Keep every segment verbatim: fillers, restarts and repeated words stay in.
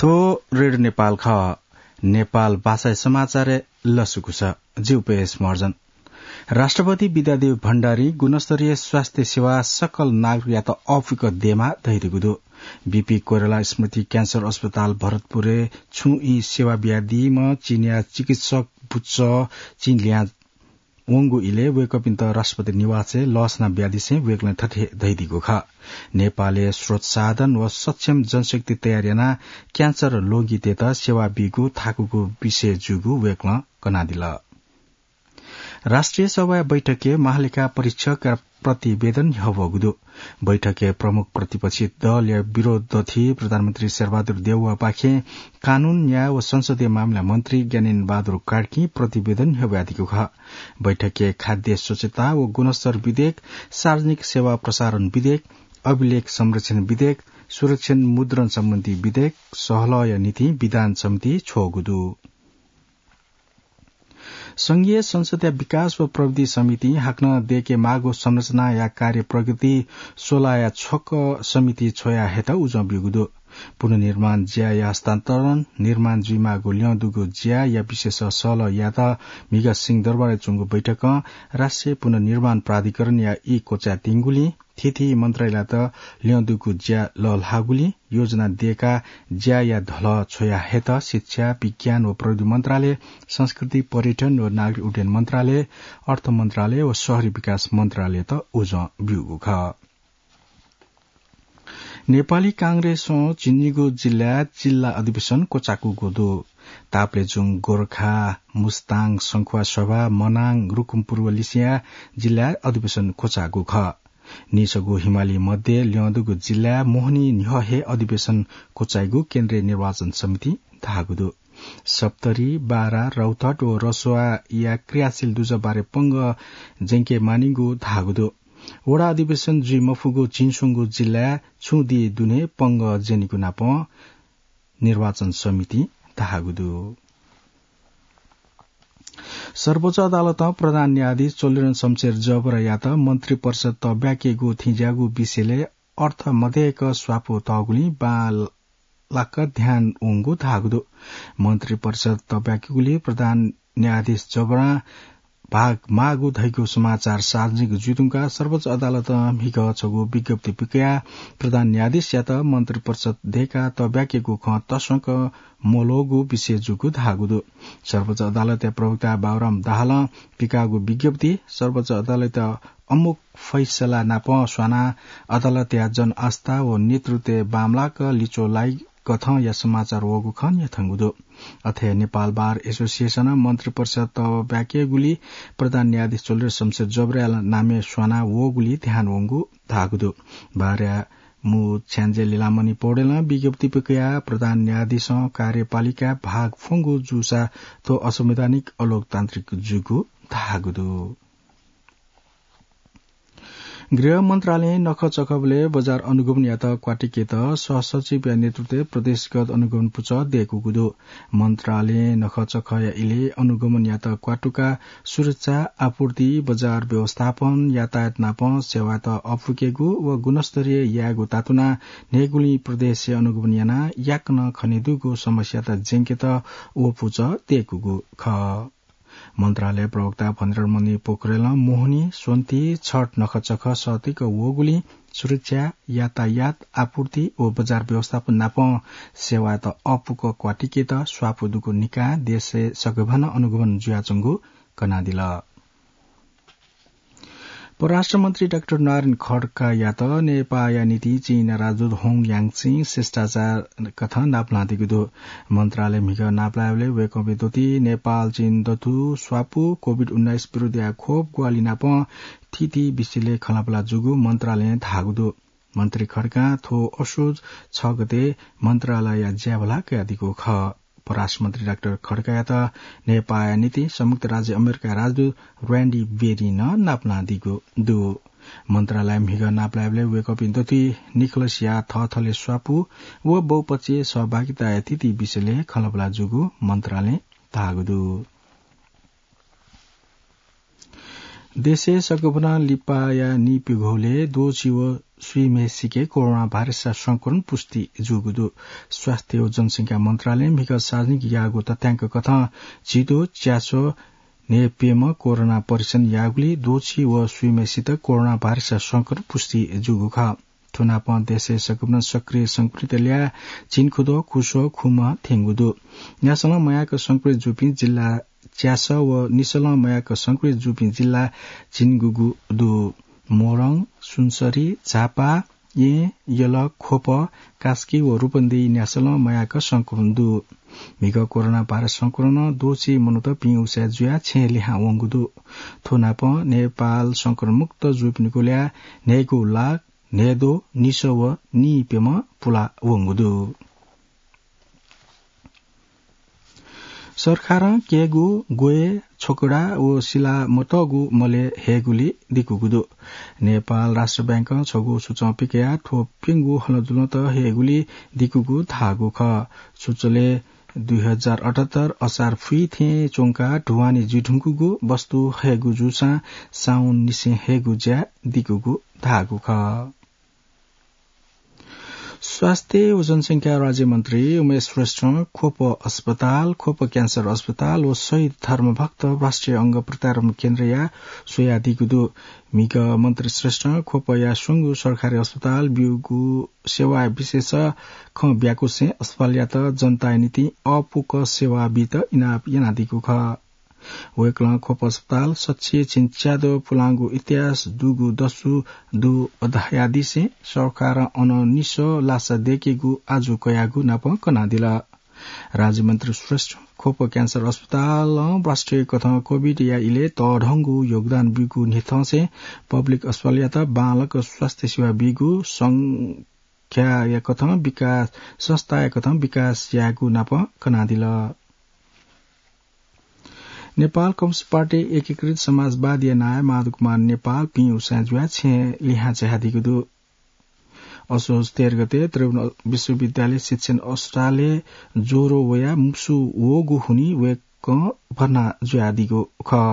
यो रेडियो नेपाल खः। नेपाल भाषाया समाचारय् लसकुस। जि उपेश महर्जन। राष्ट्रपति विद्यादेवी भण्डारी गुणस्तरीय स्वास्थ्य सेवा सकल नागरिकयात अःपुक देमाः धयादीगु दु। बीपी कोइराला स्मृति क्यान्सर अस्पताल भरतपुरय् छुं ई सेवा बियादीम्ह चीनया चिकित्सक बुच्च चिं लिहां वंगु इलय् वय्कःपिन्त राष्ट्रपति निवासय् लःसना बियादिसें वय्कलं थथे धयादीगु खः। नेपालय् स्रोत साधन व सक्षम जनशक्ति तयार यानाः क्यान्सर ल्वगितय्त सेवा बीगु थाकुगु विषय जूगु वय्कलं कनादिल। राष्ट्रिय सभाया बैठकय् महालेखा परीक्षकया प्रतिवेदन ह्यब्वःगु दु। बैठकय् प्रमुख प्रतिपक्षी दलया विरोध दथी प्रधानमन्त्री शेरबहादुर देउवापाखें कानून, न्याय व संसदीय मामिला मन्त्री ज्ञानेन्द्र बहादुर कार्कीं प्रतिवेदन ह्यब्वयादीगु खः। बैठकय् खाद्य स्वच्छता व गुणस्तर विधेयक, सार्वजनिक सेवा प्रसारण विधेयक, अभिलेख संरक्षण विधेयक, सुरक्षण मुद्रण सम्बन्धी विधेयक, सहलहया निंतिं विधान समिति छ्वःगु दु। संघीय संसदया विकास व प्रविधि समितिं हाकनं दय्केमाःगु संरचनाया कार्य प्रगति स्वलाया छकः समिति छ्वया हयेत उजं ब्यूगु दु। पुनर्निर्माण ज्याया हस्तान्तरण, निर्माण जुइमाःगु ल्यं दुगु ज्याया विषयस सहलह यायेत म्हिगः सिंहदरबारय् च्वंगु बैठकं राष्ट्रिय पुनर्निर्माण प्राधिकरणया ई क्वचायेत्यंगुलिं थीथी मन्त्रालययात ल्यं दुगु ज्या लःल्हाःगुलिं योजना दय्काः ज्याया धलः छ्वया हयेत शिक्षा, विज्ञान व प्रविधि मन्त्रालय, संस्कृति, पर्यटन व नागरिक उड्डयन मन्त्रालय, अर्थ मन्त्रालय व शहरी विकास मन्त्रालययात उजं ब्यूगु खः। नेपाली कांग्रेसं झिंनिगू जिल्लाय् जिल्ला अधिवेशन क्वचाकूगु दु। तापालय् जूगु गोरखा, मुस्ताङ, संखुवासभा, मनाङ, रुकुमपूर्व लिसिया जिल्लाय् अधिवेशन क्वचाःगु खः। निसगू हिमाली मध्ये ल्यं दुगु जिल्लाय् मोहनी न्ह्यः हे अधिवेशन क्वचाइगु केन्द्रीय निर्वाचन समितिं धाःगु दु। सप्तरी, बारा, रौतहट व रसुवाया क्रियाशील दुजः बारे पंगः ज्यंके मानिगु धाःगु दु। वडा अधिवेशन जुइ मफुगु झिंस्वंगू जिल्लाय् छुं दिं दुने पंगः ज्यनीगु नापं निर्वाचन समितिं धाःगु दु। सर्वोच्च अदालतं प्रधान न्यायाधीश चोलेरन शमशेर जबरायात मन्त्रिपरिषद तःब्याकेगु थेंज्याःगु विषयलय् अर्थ मदय्क स्वापू तःगुलिं बांलाक ध्यान वंगु धाःगु दु। मन्त्रिपरिषद तःब्याकेगुलिं प्रधान न्यायाधीश जबरां भाग माःगु धइगु समाचार सार्वजनिक जुइधुंकाः सर्वोच्च अदालतं म्हिगः छगू विज्ञप्ति पिकयाः प्रधान न्यायाधीशयात मन्त्रिपरिषद दय्काः तःब्याकेगु खँ तसकं मल्वःगु विषय जूगु धाःगु दु। सर्वोच्च अदालतया प्रवक्ता बाबुराम दाहालं पिकाःगु विज्ञप्ति सर्वोच्च अदालतया अमूक फैसला नाप स्वानाः अदालतया जनआस्था व नेतृत्वय् बांमलाक लिच्वः लाइगु कथंया समाचार वःगु खँ न्ह्यथंगु दु। अथे नेपाल बार एसोसिएसनं मन्त्रिपरिषद तःब्याकेगुलिं प्रधान न्यायाधीश चोलेरन शमशेर जबराया नामय् स्वाना वःगुलिं ध्यान वंगु धाःगु दु। बारया मू छ्याञ्जे लीलामणि पौडेलं विज्ञप्ति पिकयाः प्रधान न्यायाधीशं कार्यपालिकाय् भाग फ्वंगु जूसा थ्व असंवैधानिक अलोकतान्त्रिक जूगु धाःगु दु। गृह मन्त्रालयं नखःचखःबलय् बजार अनुगमनयात क्वातुकेत सहसचिवया नेतृत्वय् प्रदेशगत अनुगमन पुचः दय्कूगु दु। मन्त्रालयं नखःचखःया इलय् अनुगमनयात क्वातुकाः सुरक्षा, आपूर्ति, बजार व्यवस्थापन, यातायात नाप सेवायात अःपुकेगु व गुणस्तरीय यायेगु तातुनाः न्हय्गुलिं प्रदेशय् अनुगमन यानाः याकनं खनेदुगु समस्यात ज्यंकेत व पुचः दय्कूगु खः। मन्त्रालय प्रवक्ता फणिन्द्रमणि पोखरेलं मोहनी, स्वन्ति, छठ नखःचखः सःतक वःगुलिं सुरक्षा, यातायात, आपूर्ति व बजार व्यवस्थापन नाप सेवायात अःपुक क्वातुकेत स्वापू दुगु निकाः देशय् सकेभनं अनुगमन जुयाच्वंगु कनादिल। परराष्ट्र मन्त्री डाक्टर नारायण खड्कायात नेपाःया निंतिं चीनया राजदूत होङ याङचिं शिष्टाचार कथं नापलानादीगु दु। मन्त्रालयं म्हिगः नापलायेबलय् वय्कःपिं दथुइ नेपाल चीन दथुइ स्वापू, कोभिड उन्नाइस विरुद्धया खोप ग्वाहालि नाप थीथी विषयलय् खँल्हाबल्हा जूगु मन्त्रालयं धाःगु दु। मन्त्री खड्कां थ्व असोज छ गते मन्त्रालयया ज्याभला कयादीगु खः। परराष्ट्र मन्त्री डाक्टर खड्कायात नेपाःया निंतिं संयुक्त राज्य अमेरिकाया राजदूत र्‍यान्डी बेरीं नं नापलानादीगु दु। मन्त्रालयं म्हिगः नापलायेबलय् वय्कःपिं दथुइ निखलसया थःथलय् स्वापू व बहुपक्षीय सहभागिताया थीथी विषयलय् खँल्हाबल्हा जूगु मन्त्रालयं धाःगु दु। देशय् सकभनं लिपाया नीप्यघौलय् द्वःछि व स्वीम्हेसिके कोरोना भाइरसया संक्रमण पुष्टि जूगु दु। स्वास्थ्य व जनसंख्या मन्त्रालयं म्हिगः सार्वजनिक याःगु तथ्याङ्क कथं झिद्वः च्यासः न्हय्प्यम्ह कोरोना परीक्षण याःगुलिं द्वःछि व स्वीम्हेसित कोरोना भाइरसया संक्रमण पुष्टि जूगु खः। थ्व नापं देशय् सकभनं सक्रिय संक्रमित ल्याः झिंखुद्वः खुसः खुम्ह थ्यंगु दु। न्यासलं मयाक संक्रमित जूपिं जिल्ला च्यासः व निसलं मयाक संक्रमित जूपिं जिल्ला झिंगुगु दु। मोरङ, सुनसरी, झापा, येँ, यल, ख्वप, कास्की व रूपन्देही न्यासलं मयाक संक्रमण दु। म्हिगः कोरोना भाइरस संक्रमणं द्वःछि मनूत पिउसाय् जुयाः छेँय् लिहां वंगु दु। थ्व नापं नेपाल संक्रमणमुक्त जूपिनिगु ल्याः न्हय्गू लाख न्हय्द्वः निसः व नीप्यम्ह पुला वंगु दु। सरकारं केगु, ग्वय्, छकूडा व सिला मतःगु मलय् हयेगुली दिकूगु दु। नेपाल राष्ट्र बैंकं छगू सूचं पिकयाः थ्व प्यंगू हलंजुलंत हयेगुली दिकूगु धाःगु खः। सूचलय् दुई हजार अठहत्तर असार फुइ थें च्वंकाः ढुवानी जुइधुंकूगु वस्तु हयेगु जूसां साउन निसें हयेगु ज्या दिकूगु धाःगु खः। स्वास्थ्य व जनसंख्या राज्यमन्त्री उमेश श्रेष्ठं ख्वप अस्पताल, ख्वप क्यान्सर अस्पताल व शहीद धर्मभक्त राष्ट्रिय अंग प्रत्यारोपण केन्द्रया स्वयादीगु दु। म्हिगः मन्त्री श्रेष्ठं ख्वपया स्वंगू सरकारी अस्पताल ब्यूगु सेवा विशेष खँ ब्याकुसें अस्पतालयात जनताया निंतिं अःपुक सेवा बीत इनाप यानादीगु खः। वय्कलं ख्वप अस्पताल सच्छि झिंच्याद्वः पुलांगु इतिहास दुगु दसु दु धयादिसें सरकारं अन निसः लासा दय्केगु आजु कयागु नाप कनादिल। राज्यमन्त्री श्रेष्ठ ख्वप क्यान्सर अस्पतालं राष्ट्रिय कथं कोभिडया इलय् तःधंगु योगदान ब्यूगु न्ह्यथंसें पब्लिक अस्पतालयात बांलाक स्वास्थ्य सेवा बीगु संख्याया कथं विकास, संस्थाया कथं विकास यायेगु नाप कनादिल। नेपाल कम्युनिस्ट पार्टी एकीकृत समाजवादीया नायः माधव कुमार नेपाल पिउसाय् जुयाः छेँय् लिहां झायादीगु दु। असोज तेह्र गते त्रिभुवन विश्वविद्यालय शिक्षण अस्पतालय् ज्वरो वयाः मुसु वःगु हुनिं वय्कः भर्ना जुयादीगु खः।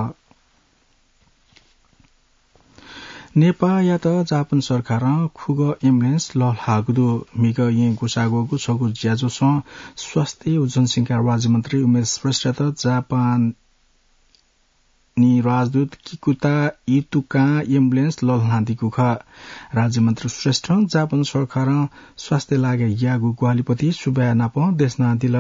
नेपाःयात जापान सरकारं खुगः एम्बुलेन्स लःल्हाःगु दु। म्हिगः येँ ग्वसाः ग्वःगु छगू ज्याझ्वलं स्वास्थ्य व जनसंख्या राज्यमन्त्री उमेश श्रेष्ठयात जापानी राजदूत किकुता युतोकां एम्बुलेन्स लःल्हानादीगु खः। राज्यमन्त्री श्रेष्ठं जापान सरकारं स्वास्थ्य लागाय् याःगु ग्वाहालिप्रति सुभाय् नाप देछानादिल।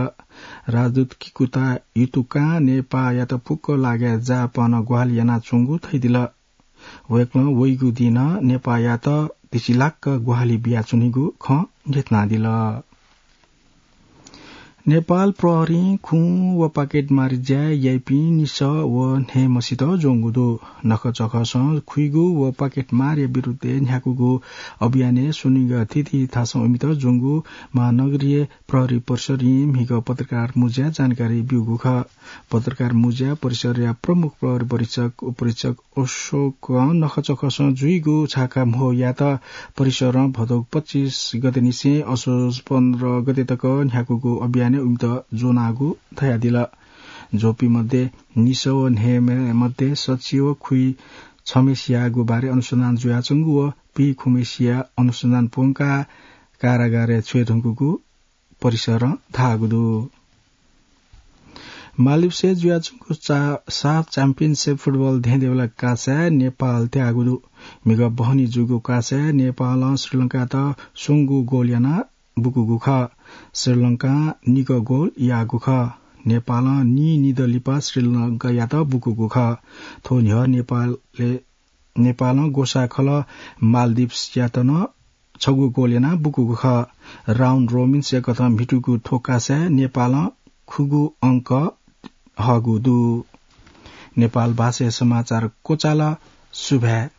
राजदूत किकुता युतोकां नेपाःयात फुक्क लागाय् जापानं ग्वाहालि यानाच्वंगु धयादिल। वय्कलं वइगु दिं नं नेपाःयात धिसिलाक्क ग्वाहालि बियाच्वनीगु खँ न्ह्यथनादिल। नेपाल प्रहरीं खुँ व पाकेटमारी ज्या याइपिं निसः व न्हय्म्हसित ज्वंगु दु। नखःचखःसं खुइगु व पाकेटमारीया विरुद्धय् न्ह्याकूगु अभियानय् स्वनिगः थीथी थासं इमित ज्वंगु महानगरीय प्रहरी परिसरं म्हिगः पत्रकार मुँज्याय् जानकारी ब्यूगु खः। पत्रकार मुँज्याय् परिसरया प्रमुख प्रहरी परीक्षक उपरीक्षक अशोकं नखःचखःसं जुइगु छाकाम्होयात परिसरं भदौ पच्चिस गतेनिसें असोज पन्ध्र गते तक न्ह्याकूगु अभियानय् इमित ज्वनागु धयादिल। ज्वःपिं मध्ये निसः व न्हय्म्ह मध्ये सच्छि व खुइ छम्हेसियागु बारे अनुसन्धान जुयाच्वंगु व पीखुम्हेसिया अनुसन्धान प्वंकाः कारागारय् छ्वये धुंकूगु परिसरं धाःगु दु। मालदिप्सय् जुयाच्वंगु चा-, साफ च्याम्पियनसिप फुटबल धेंधेंबेला कासाय् नेपाल त्याःगु दु। म्हिगः बहनी जूगु कासाय् नेपालं श्रीलंकायात स्वंगू गोल यानाः बुकूगु खः। श्रीलंकां निगः गोल याःगु खः। नेपालं नीनिदँ लिपा श्रीलंकायात बुकूगु खः। थ्व न्ह्यः नेपालय् नेपालं ग्वसाः खलः मालदिप्सयात नं छगू गोल यानाः बुकूगु खः। राउन्ड रोबिन्सया कथं म्हितूगु थ्व कासाय् नेपालं खुगू अंक हःगु दु। नेपाल भाषाया समाचार क्वचाल। सुभाय्।